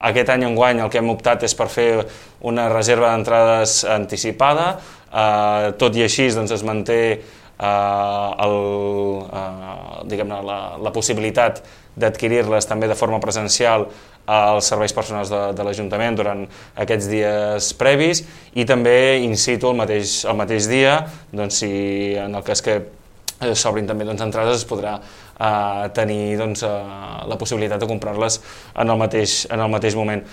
Aquest any enguany el que hem optat és per fer una reserva d'entrades anticipada, tot i així doncs, es manté la possibilitat d'adquirir-les també de forma presencial als serveis personals de l'Ajuntament durant aquests dies previs i també in situ el mateix dia, doncs, si en el cas que s'obrin també entrades es podrà tenir la possibilitat de comprar-les en el mateix moment.